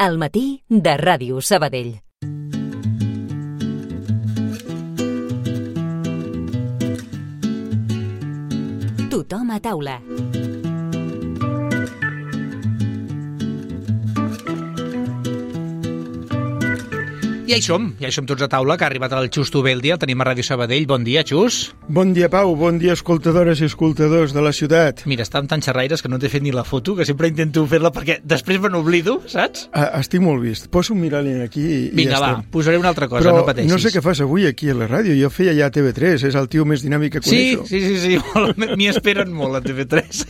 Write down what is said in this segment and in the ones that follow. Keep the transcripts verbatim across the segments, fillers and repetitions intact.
Al matí de Ràdio Sabadell. Tothom a taula. Ja hi som, ja hi som tots a taula, que ha arribat el Xus Tubeldi, el tenim a Ràdio Sabadell. Bon dia, Xus. Bon dia, Pau, bon dia, escoltadores i escoltadors de la ciutat. Mira, està amb tants xerraires que no t'he fet ni la foto, que sempre intento fer-la perquè després me n'oblido, saps? Ah, estic molt vist. Poso un mirall aquí i Vinga, ja va, estem. posaré una altra cosa, Però no pateixis. no sé què fas avui aquí a la ràdio. Jo feia ja a T V tres, és el tio més dinàmic que Sí, coneixo. sí, sí, sí, molt, m'hi esperen molt a T V tres.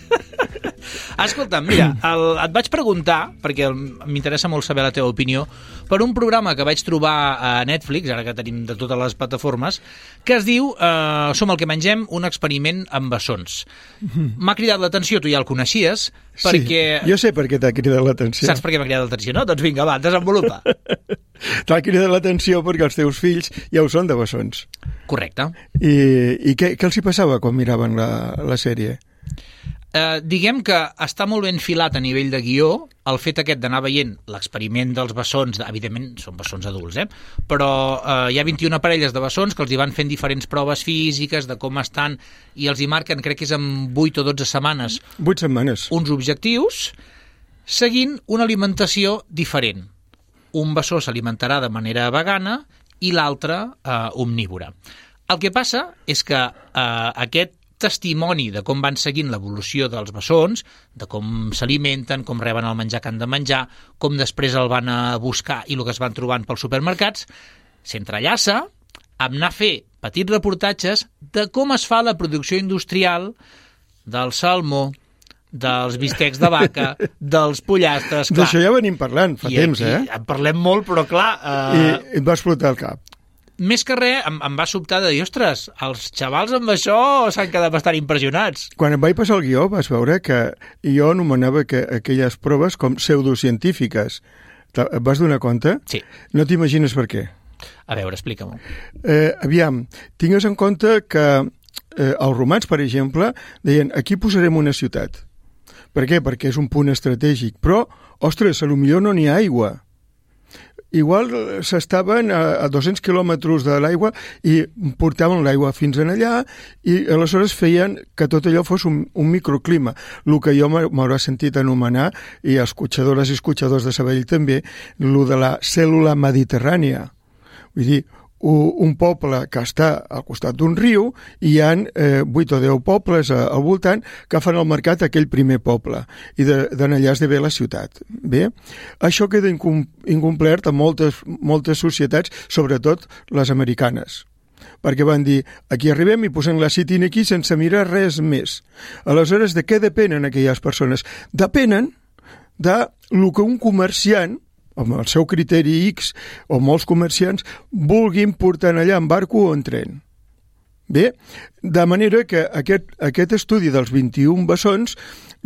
Escolta'm, mira, el, et vaig preguntar, perquè el- m'interessa molt saber la teva opinió, per un programa que vaig trobar a Netflix, ara que tenim de totes les plataformes, que es diu eh, Som el que mengem, un experiment amb bessons. M'ha cridat l'atenció, tu ja el coneixies, perquè... Sí, jo sé per què t'ha cridat l'atenció. Saps per què m'ha cridat l'atenció, no? Doncs vinga, va, desenvolupa. T'ha cridat l'atenció perquè els teus fills ja ho són de bessons. Correcte. I, i què, què els hi passava quan miraven la, la sèrie? Eh, diguem que està molt ben filat a nivell de guió el fet aquest d'anar veient l'experiment dels bessons, evidentment són bessons adults, eh? però eh, hi ha vint-i-una parelles de bessons que els hi van fent diferents proves físiques de com estan i els hi marquen, crec que és en vuit o dotze setmanes, Vuit setmanes. uns objectius seguint una alimentació diferent. Un bessó s'alimentarà de manera vegana i l'altre eh, omnívora. El que passa és que eh, aquest testimoni de com van seguint l'evolució dels bessons, de com s'alimenten, com reben el menjar que han de menjar, com després el van a buscar i el que es van trobant pels supermercats, s'entrellaça amb anar a fer petits reportatges de com es fa la producció industrial del salmó, dels bistecs de vaca, dels pollastres... Clar, D'això ja venim parlant fa i temps, aquí eh? en parlem molt, però clar... I Eh, et va explotar el cap. més que res, em, em va sobtar de dir, ostres, els xavals amb això s'han quedat bastant impressionats. Quan em vaig passar el guió vas veure que jo anomenava que aquelles proves com pseudocientífiques. Te- Et vas donar compte? Sí. No t'imagines per què. A veure, explica-m'ho. Eh, aviam, tingues en compte que eh, els romans, per exemple, deien aquí posarem una ciutat. Per què? Perquè és un punt estratègic. Però, ostres, a lo millor no n'hi ha aigua. Igual eh, s'estaven a, a dos-cents quilòmetres de l'aigua i portaven l'aigua fins en allà i aleshores feien que tot allò fos un, un microclima, el que jo m'ha- m'haurà sentit anomenar, i escorxadores i escorxadors de Sabadell també, el de la cèl·lula mediterrània. Vull dir, u- un poble que està al costat d'un riu i hi ha eh, vuit o deu pobles a, al voltant que fan el mercat aquell primer poble i de, de allà es ve la ciutat. Bé, això queda incom incomplert a moltes, moltes societats, sobretot les americanes, perquè van dir, aquí arribem i posem la citina aquí sense mirar res més. Aleshores, de què depenen aquelles persones? Depenen de lo que un comerciant amb el seu criteri X, o molts comerciants, vulguin portar allà en barco o en tren. Bé, de manera que aquest, aquest estudi dels vint-i-un bessons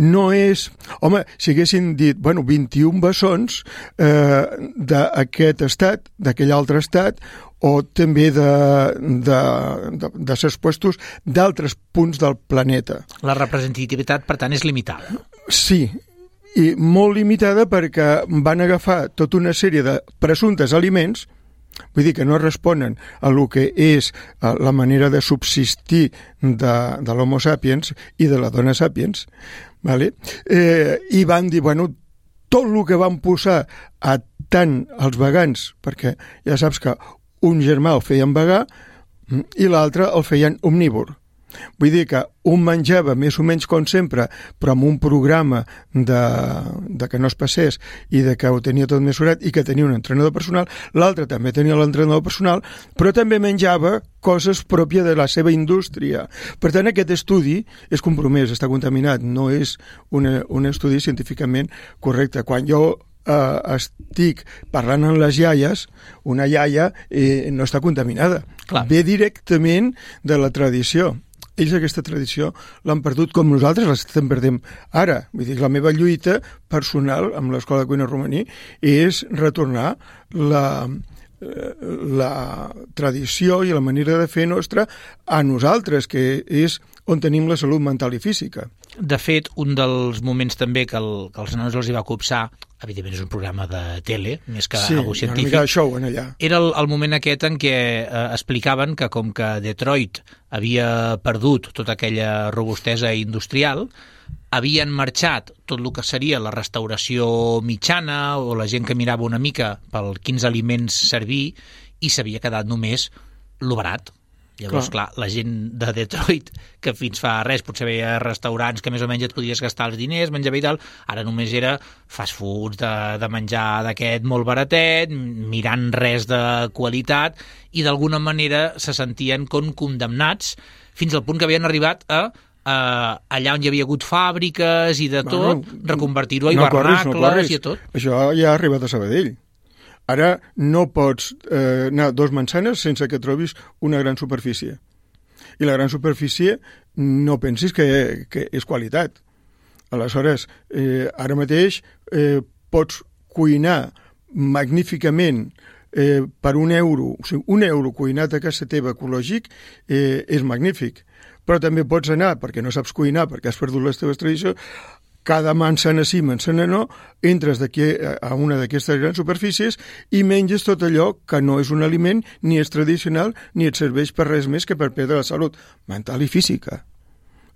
no és... Home, si haguessin dit, bueno, vint-i-un bessons eh, d'aquest estat, d'aquell altre estat, o també de, de, de, de ses puestos d'altres punts del planeta. La representativitat, per tant, és limitada. Sí, i molt limitada perquè van agafar tota una sèrie de presumptes aliments, vull dir que no responen a lo que és eh, la manera de subsistir de, de l'Homo sapiens i de la dona sapiens, vale? eh, i van dir, bueno, tot el que van posar a tant els vegans, perquè ja saps que un germà el feien vegà i l'altre el feien omnívor. Vull dir que un menjava més o menys com sempre, però amb un programa de, de que no es passés i de que ho tenia tot mesurat i que tenia un entrenador personal, l'altre també tenia l'entrenador personal, però també menjava coses pròpies de la seva indústria. Per tant, aquest estudi és compromès, està contaminat, no és una, un estudi científicament correcte. Quan jo eh, estic parlant amb les iaies, una iaia eh, no està contaminada. Clar. Ve directament de la tradició. Ells aquesta tradició l'han perdut com nosaltres l'estem perdent ara. Vull dir, la meva lluita personal amb l'Escola de Cuina Romaní és retornar la, la tradició i la manera de fer nostra a nosaltres, que és on tenim la salut mental i física. De fet, un dels moments també que, el, que els nanos els hi va copsar, evidentment és un programa de tele, més que sí, algú científic, una mica de show en allà. Era el, el moment aquest en què eh, explicaven que com que Detroit havia perdut tota aquella robustesa industrial, havien marxat tot el que seria la restauració mitjana o la gent que mirava una mica pel quins aliments servir i s'havia quedat només lo barat. Llavors, clar. clar, la gent de Detroit, que fins fa res potser veia restaurants que més o menys et podies gastar els diners, menjar bé i tal, ara només era fast foods de, de menjar d'aquest molt baratet, mirant res de qualitat, i d'alguna manera se sentien com condemnats fins al punt que havien arribat a Uh, allà on hi havia hagut fàbriques i de tot, bueno, reconvertir-ho a no hivernacles no corris. I a tot. Això ja ha arribat a Sabadell. Ara no pots eh, anar dos manzanes sense que trobis una gran superfície. I la gran superfície no pensis que, que és qualitat. Aleshores, eh, ara mateix eh, pots cuinar magníficament eh, per un euro, o sigui, un euro cuinat a casa teva ecològic eh, és magnífic. Però també pots anar, perquè no saps cuinar, perquè has perdut les teves tradicions, cada manzana sí, manzana no, entres d'aquí a una d'aquestes grans superfícies i menges tot allò que no és un aliment, ni és tradicional, ni et serveix per res més que per perdre la salut mental i física.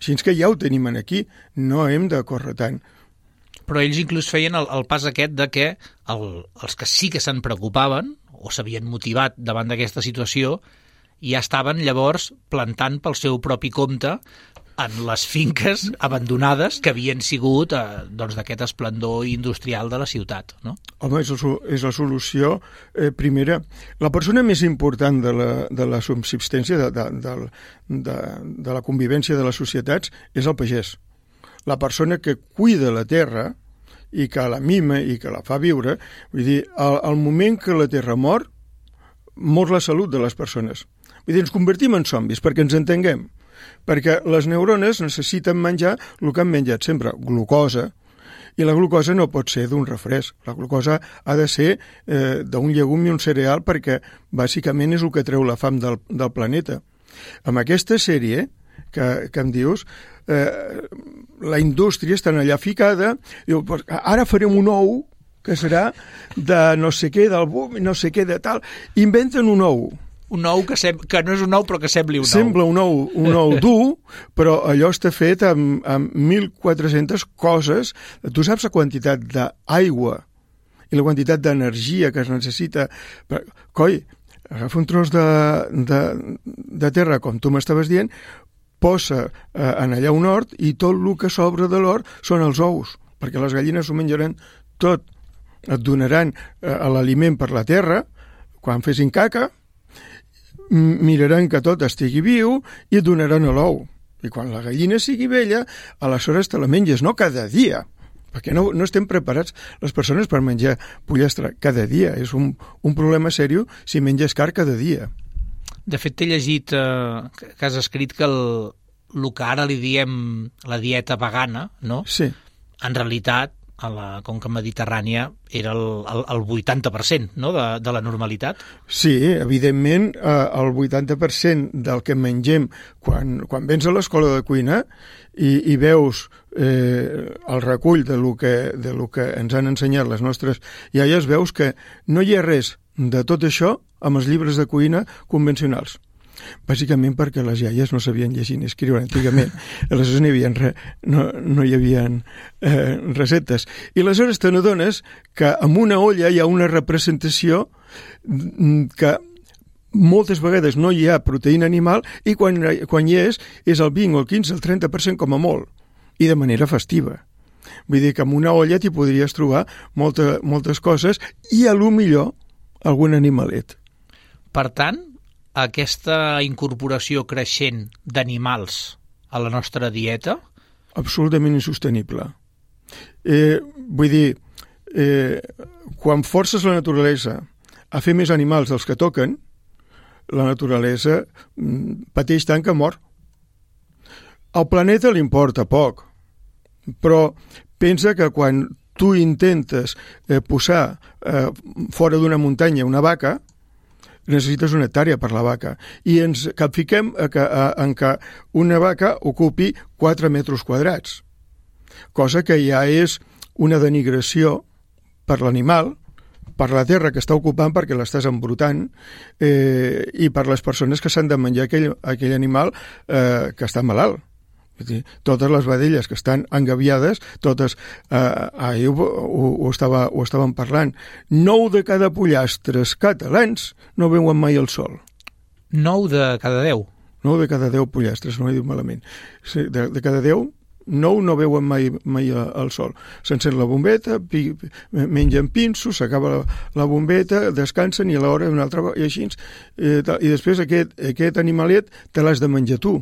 Així que ja ho tenim aquí, no hem de córrer tant. Però ells inclús feien el, el pas aquest de que el, els que sí que se'n preocupaven o s'havien motivat davant d'aquesta situació ja estaven llavors plantant pel seu propi compte en les finques abandonades que havien sigut eh, doncs, d'aquest esplendor industrial de la ciutat, no? Home, és, el, és la solució eh, primera. La persona més important de la, de la subsistència, de, de, de, de, de la convivència de les societats, és el pagès. La persona que cuida la terra i que la mima i que la fa viure, vull dir, al, al moment que la terra mor, mor la salut de les persones. Vull dir, ens convertim en zombis, perquè ens entenguem. Perquè les neurones necessiten menjar el que han menjat sempre, glucosa, i la glucosa no pot ser d'un refresc. La glucosa ha de ser eh, d'un llegum i un cereal perquè bàsicament és el que treu la fam del, del planeta. Amb aquesta sèrie que, que em dius, eh, la indústria està allà ficada, diu, ara farem un ou que serà de no sé què, del boom, no sé què de tal. Inventen un ou. Un ou que, sem que no és un ou però que sembli un ou. Sembla un ou, un ou dur, però allò està fet amb, amb mil quatre-centes coses. Tu saps la quantitat d'aigua i la quantitat d'energia que es necessita. Per... Coi, agafa un tros de, de, de terra, com tu m'estaves dient, posa eh, en allà un hort i tot el que sobra de l'hort són els ous, perquè les gallines ho menjaran tot. Et donaran eh, l'aliment per la terra, quan fessin caca, miraran que tot estigui viu i et donaran l'ou. I quan la gallina sigui vella, aleshores te la menges, no cada dia, perquè no, no estem preparats les persones per menjar pollastre cada dia. És un, un problema seriós si menges car cada dia. De fet, t'he llegit eh, que has escrit que el, el que ara li diem la dieta vegana, no? Sí. En realitat, a la conca mediterrània era el, el, el vuitanta per cent, no? de, de la normalitat. Sí, evidentment, eh, el vuitanta per cent del que mengem quan, quan vens a l'escola de cuina i, i veus eh, el recull de lo, que, de lo que ens han ensenyat les nostres iaies, veus que no hi ha res de tot això amb els llibres de cuina convencionals. Bàsicament perquè les iaies no sabien llegir ni escriure antigament. Aleshores no hi havia, re, no, no hi havia eh, receptes. I aleshores te n'adones que en una olla hi ha una representació que moltes vegades no hi ha proteïna animal i quan, quan hi és, és el vint, el quinze, el trenta per cent com a molt. I de manera festiva. Vull dir que en una olla t'hi podries trobar molta, moltes coses i a lo millor algun animalet. Per tant, aquesta incorporació creixent d'animals a la nostra dieta? Absolutament insostenible. Eh, vull dir, eh, quan forces la naturalesa a fer més animals dels que toquen, la naturalesa pateix tant que mor. Al planeta li importa poc, però pensa que quan tu intentes eh, posar eh, fora d'una muntanya una vaca, necessites una hectàrea per la vaca, i ens capfiquem a que, a, en que una vaca ocupi quatre metres quadrats, cosa que ja és una denigració per l'animal, per la terra que està ocupant perquè l'estàs embrutant, eh, i per les persones que s'han de menjar aquell, aquell animal eh, que està malalt. Totes les vedelles que estan engaviades, totes, eh, ahir ho, ho, ho, estava, ho estàvem parlant, nou de cada pollastres catalans no veuen mai el sol. Nou de cada deu? Nou de cada deu pollastres, no he dit malament. De, de cada deu, nou no veuen mai, mai el sol. S'encén la bombeta, pi, mengen pinsos, s'acaba la, la bombeta, descansen i a l'hora una altra i així. Eh, I després aquest, aquest animalet te l'has de menjar tu.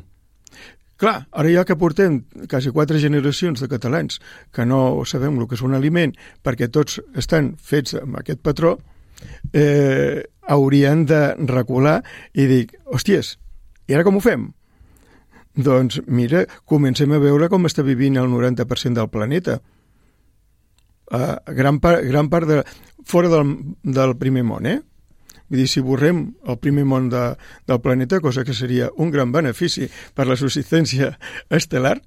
Clar, ara ja que portem quasi quatre generacions de catalans que no sabem el que és un aliment perquè tots estan fets amb aquest patró, eh, haurien de recular i dir, hòsties, i ara com ho fem? Doncs mira, comencem a veure com està vivint el noranta per cent del planeta. Uh, gran, part, gran part de... fora del, del primer món, eh? Vull dir, si borrem el primer món de, del planeta, cosa que seria un gran benefici per la subsistència estel·lar,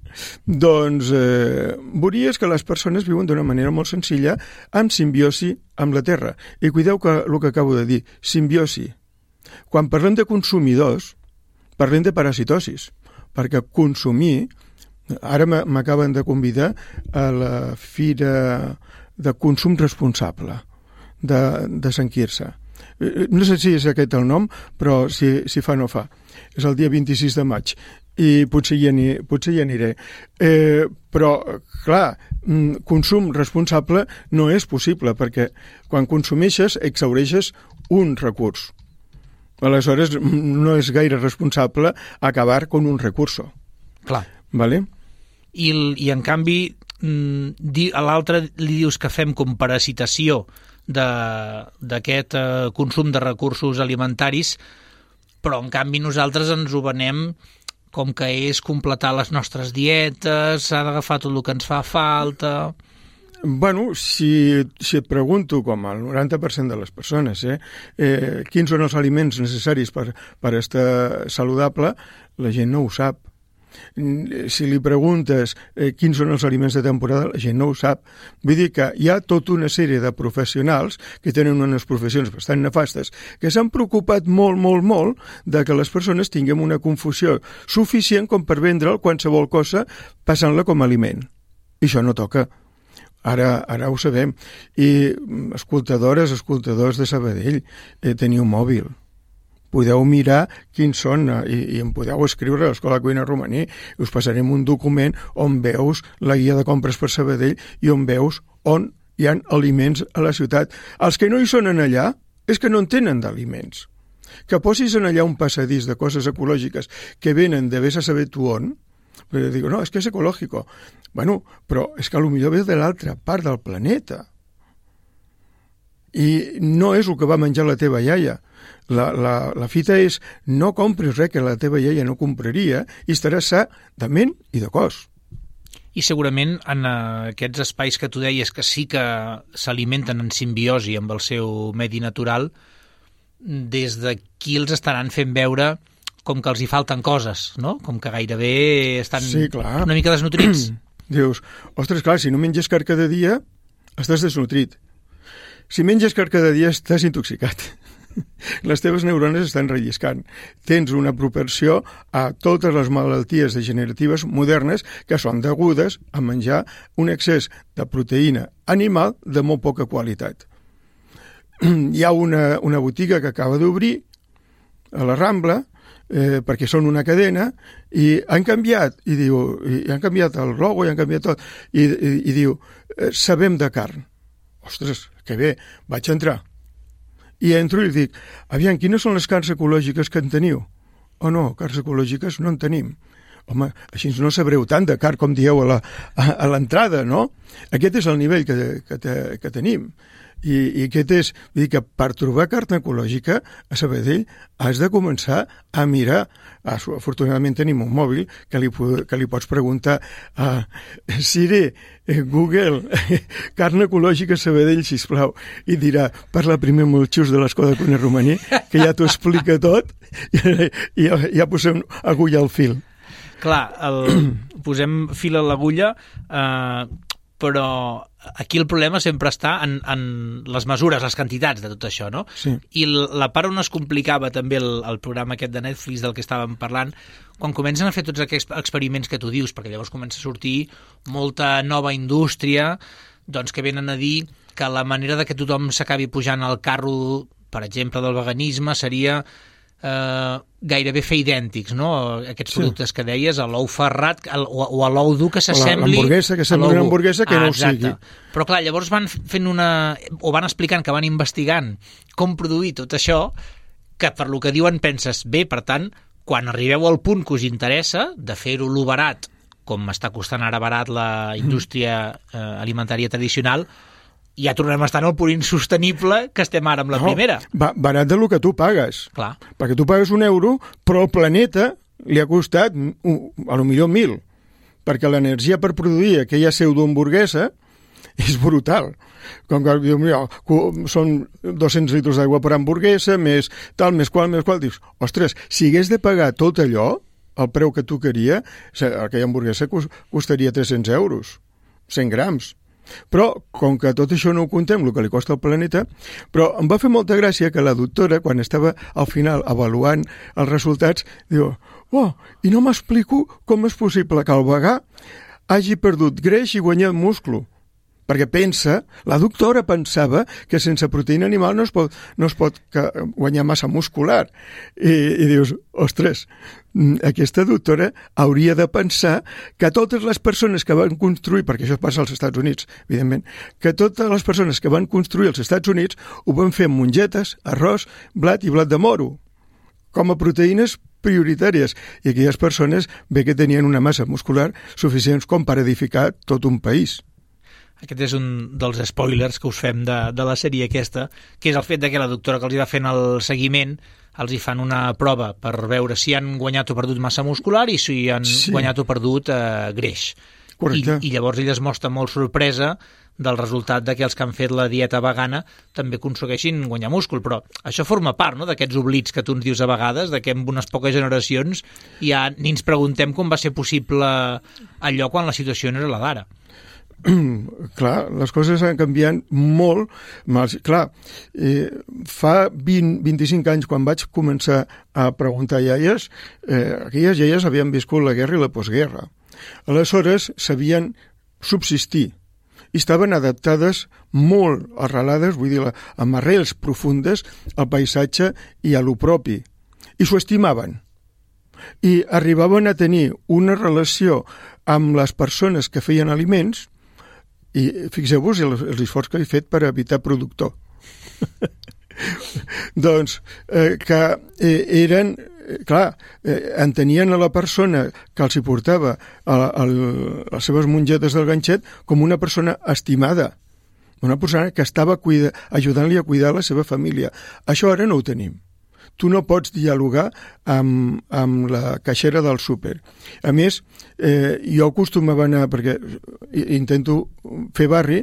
doncs eh, veuries que les persones viuen d'una manera molt senzilla amb simbiosi amb la Terra. I cuideu que el que acabo de dir, simbiosi. Quan parlem de consumidors, parlem de parasitosis, perquè consumir... Ara m'acaben de convidar a la Fira de Consum Responsable de, de Sant Quirze. No sé si és aquest el nom, però si, si fa no fa. És el dia vint-i-sis de maig i potser hi, aniré, potser hi aniré. Eh, però, clar, consum responsable no és possible, perquè quan consumeixes exhaureixes un recurs. Aleshores, no és gaire responsable acabar con un recurso. Clar. Vale? I, i en canvi, a l'altre li dius que fem com parasitació d'aquest eh, consum de recursos alimentaris, però en canvi nosaltres ens ho venem com que és completar les nostres dietes, s'ha d'agafar tot el que ens fa falta... Bueno, si, si et pregunto, com el noranta per cent de les persones, eh, eh, quins són els aliments necessaris per, per estar saludable, la gent no ho sap. Si li preguntes eh, quins són els aliments de temporada, la gent no ho sap. Vull dir que hi ha tota una sèrie de professionals que tenen unes professions bastant nefastes que s'han preocupat molt, molt, molt de que les persones tinguem una confusió suficient com per vendre'l qualsevol cosa passant-la com a aliment. I això no toca. Ara, ara ho sabem. I escoltadores, escoltadors de Sabadell, eh, teniu mòbil. Podeu mirar quins són i, i em podeu escriure a l'Escola Cuina Romaní i us passarem un document on veus la guia de compres per Sabadell i on veus on hi ha aliments a la ciutat. Els que no hi són en allà és que no en tenen d'aliments. Que posis en allà un passadís de coses ecològiques que venen de vés a saber tu on, perquè dic, no, és que és ecològico. Bueno, però és que potser ve de l'altra part del planeta. I no és el que va menjar la teva iaia. La, la, la fita és no compris res que la teva iaia no compraria i estaràs sa de ment i de cos. I segurament en aquests espais que tu deies que sí que s'alimenten en simbiosi amb el seu medi natural, des d'aquí els estaran fent veure com que els hi falten coses, no? Com que gairebé estan sí, clar. Una mica desnutrits. Dius, ostres, clar, si no menges carn cada dia, estàs desnutrit. Si menges carn cada dia, estàs intoxicat. Les teves neurones estan relliscant. Tens una propensió a totes les malalties degeneratives modernes que són degudes a menjar un excés de proteïna animal de molt poca qualitat. Hi ha una, una botiga que acaba d'obrir a la Rambla, eh, perquè són una cadena, i han canviat, i diu, i han canviat el logo, i han canviat tot, i, i, i diu, eh, sabem de carn. Ostres, que bé, vaig entrar. I entro i dic, aviam, quines són les carns ecològiques que en teniu? Oh no, carns ecològiques no en tenim. Home, així no sabreu tant de carn com dieu a, la, a, a l'entrada, no? Aquest és el nivell que, que, te, que tenim. I, i aquest és, vull dir que per trobar carn ecològica a Sabadell has de començar a mirar. Ah, afortunadament tenim un mòbil que li, que li pots preguntar a Siri, Google, carn ecològica a Sabadell, sisplau, i dirà, parla primer amb el xus de l'Escola Cuina Romaní que ja t'ho explica tot i, i ja, ja posem agulla al fil. Clar, el, posem fil a l'agulla, eh, però aquí el problema sempre està en, en les mesures, les quantitats de tot això, no? Sí. I la part on es complicava també el, el programa aquest de Netflix del que estàvem parlant, quan comencen a fer tots aquests experiments que tu dius, perquè llavors comença a sortir molta nova indústria, doncs que venen a dir que la manera de que tothom s'acabi pujant al carro, per exemple, del veganisme, seria eh, gairebé fer idèntics, no? Aquests sí. productes que deies, a l'ou ferrat el, o, o a l'ou dur que s'assembli... L'hamburguesa, que sembli una hamburguesa que ah, no ho sigui. Però clar, llavors van fent una... o van explicant que van investigant com produir tot això, que per lo que diuen penses, bé, per tant, quan arribeu al punt que us interessa de fer-ho lo barat, com està costant ara barat la indústria eh, alimentària tradicional, ja tornem a estar en el punt insostenible que estem ara amb la no, primera. Ba barat de lo que tu pagues. Clar. Perquè tu pagues un euro, però al planeta li ha costat a lo millor mil. Perquè l'energia per produir aquella pseudohamburguesa és brutal. Com que diu, mira, són dos-cents litres d'aigua per hamburguesa, més tal, més qual, més qual. Dius, ostres, si hagués de pagar tot allò, el preu que tu queria, aquella hamburguesa costaria tres-cents euros, cent grams. Però, com que tot això no ho contem, el que li costa al planeta, però em va fer molta gràcia que la doctora, quan estava al final avaluant els resultats, diu, oh, i no m'explico com és possible que el vegà hagi perdut greix i guanyat múscul. Perquè pensa, la doctora pensava que sense proteïna animal no es pot, no es pot guanyar massa muscular. I, i dius, ostres, aquesta doctora hauria de pensar que totes les persones que van construir, perquè això passa als Estats Units, evidentment, que totes les persones que van construir als Estats Units ho van fer amb mongetes, arròs, blat i blat de moro, com a proteïnes prioritàries. I aquelles persones bé que tenien una massa muscular suficients com per edificar tot un país. Aquest és un dels spoilers que us fem de, de la sèrie aquesta, que és el fet de que la doctora que els hi va fent el seguiment els hi fan una prova per veure si han guanyat o perdut massa muscular i si han sí. guanyat o perdut eh, greix. Correcte. I, I llavors ella es mostra molt sorpresa del resultat de que els que han fet la dieta vegana també aconsegueixin guanyar múscul, però això forma part, no?, d'aquests oblits que tu ens dius a vegades, de que en unes poques generacions ja ni ens preguntem com va ser possible allò quan la situació no era la d'ara. Clar, les coses han canviat molt. Clar, eh, fa vint a vint-i-cinc anys, quan vaig començar a preguntar iaies, eh, aquelles iaies havien viscut la guerra i la postguerra. Aleshores sabien subsistir i estaven adaptades molt arrelades, vull dir, amb arrels profundes al paisatge i a lo propi, i s'ho estimaven. I arribaven a tenir una relació amb les persones que feien aliments. I fixeu-vos l'esforç que he fet per evitar productor. doncs eh, que eh, eren, eh, clar, eh, entenien a la persona que els hi portava a, a, a les seves mongetes del ganxet com una persona estimada, una persona que estava cuida, ajudant-li a cuidar la seva família. Això ara no ho tenim. Tu no pots dialogar amb, amb la caixera del súper. A més, eh, jo acostumava a anar, perquè intento fer barri,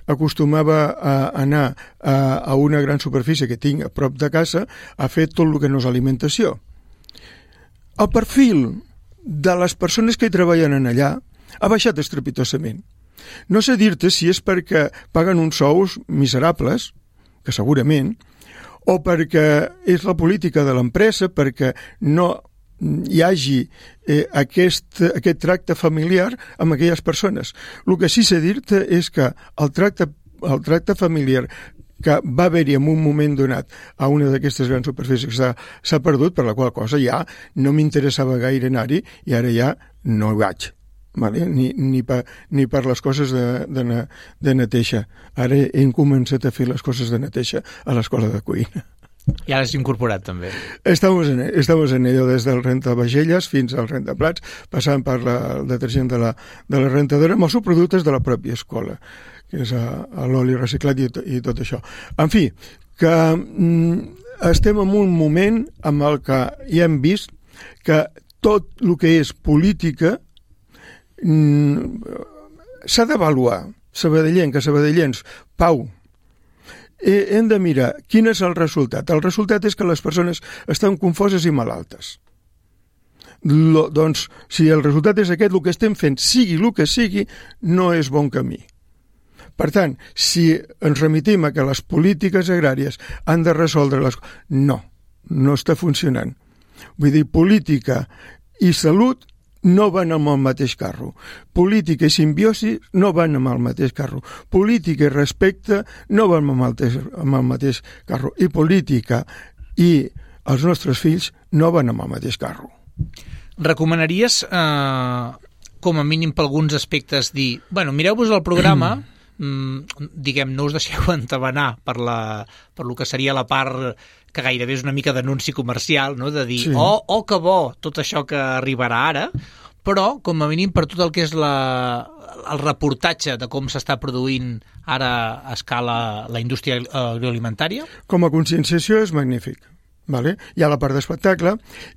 acostumava a anar a, a una gran superfície que tinc a prop de casa a fer tot el que no és alimentació. El perfil de les persones que hi treballen en allà ha baixat estrepitosament. No sé dir-te si és perquè paguen uns sous miserables, que segurament, o perquè és la política de l'empresa, perquè no hi hagi eh, aquest, aquest tracte familiar amb aquelles persones. El que sí sé dir-te és que el tracte, el tracte familiar que va haver-hi en un moment donat a una d'aquestes grans superfícies que s'ha perdut, per la qual cosa ja no m'interessava gaire anar-hi i ara ja no hi vaig. Vale? Ni, ni, per, ni per les coses de, de, de neteja. Ara hem començat a fer les coses de neteja a l'escola de cuina. I ara s'ha incorporat també. Estamos en, estamos en ello des del rentavagelles fins al rentaplats, passant per la, el detergent de la, de la rentadora amb els subproductes de la pròpia escola, que és l'oli reciclat i, i tot això. En fi, que mm, estem en un moment amb el que ja hem vist que tot el que és política s'ha d'avaluar. Sabadellenc, a Sabadellens, pau. eh, hem de mirar quin és el resultat. El resultat és que les persones estan confoses i malaltes. Lo, doncs, si el resultat és aquest, el que estem fent, sigui el que sigui, no és bon camí. Per tant, si ens remitim a que les polítiques agràries han de resoldre les coses, no, no està funcionant. Vull dir, política i salut no van amb el mateix carro. Política i simbiosi no van amb el mateix carro. Política i respecte no van amb el mateix, amb el mateix carro. I política i els nostres fills no van amb el mateix carro. Recomanaries, eh, com a mínim per alguns aspectes, dir, bueno, mireu-vos el programa, mm, diguem, no us deixeu entabanar per, la, per lo que seria la part que gairebé és una mica d'anunci comercial, no? De dir, sí. oh, oh, que bo, tot això que arribarà ara, però, com a mínim, per tot el que és la, el reportatge de com s'està produint ara a escala la indústria agroalimentària. Com a conscienciació és magnífic. Vale? Hi ha la part d'espectacle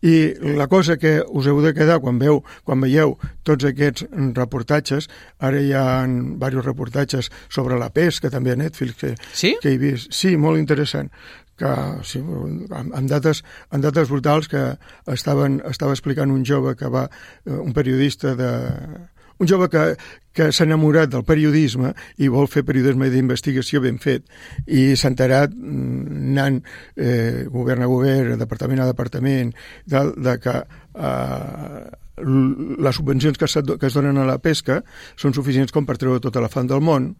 i la cosa que us heu de quedar quan, veu, quan veieu tots aquests reportatges, ara hi ha diversos reportatges sobre la pesca també a Netflix que, sí? que he vist, sí, molt interessant, que sí, amb, amb, dates, amb dates brutals que estaven, estava explicant un jove que va, un periodista de... un jove que, que s'ha enamorat del periodisme i vol fer periodisme d'investigació ben fet i s'ha enterat anant eh, govern a govern, departament a departament, de, de que eh, les subvencions que, que es donen a la pesca són suficients com per treure tota la fam del món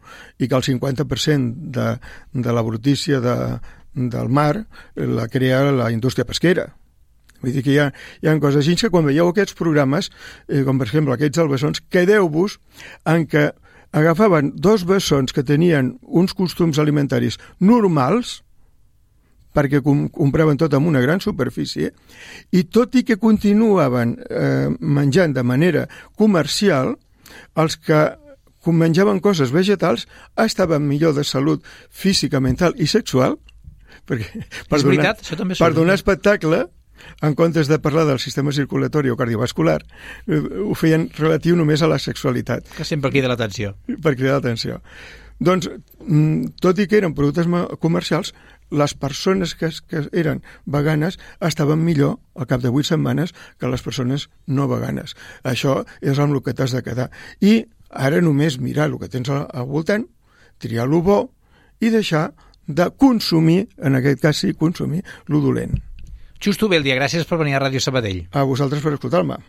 i que el cinquanta per cent de, de la brutícia de, del mar la crea la indústria pesquera. Vull dir que hi ha, hi ha coses així que quan veieu aquests programes, eh, com per exemple aquests del bessons, quedeu-vos en què agafaven dos bessons que tenien uns costums alimentaris normals, perquè com, compraven tot amb una gran superfície, i tot i que continuaven eh, menjant de manera comercial, els que menjaven coses vegetals estaven millor de salut física, mental i sexual, perquè per, és donar, veritat, això també per donar espectacle, en comptes de parlar del sistema circulatori o cardiovascular, ho feien relatiu només a la sexualitat. Que sempre crida l'atenció. Per cridar l'atenció. Doncs, tot i que eren productes comercials, les persones que, que eren veganes estaven millor al cap de vuit setmanes que les persones no veganes. Això és amb el que t'has de quedar. I ara només mirar el que tens al, al voltant, triar lo bo i deixar de consumir, en aquest cas sí, consumir lo dolent. Justo Beldia, gràcies per venir a Ràdio Sabadell. A vosaltres per escoltar-me.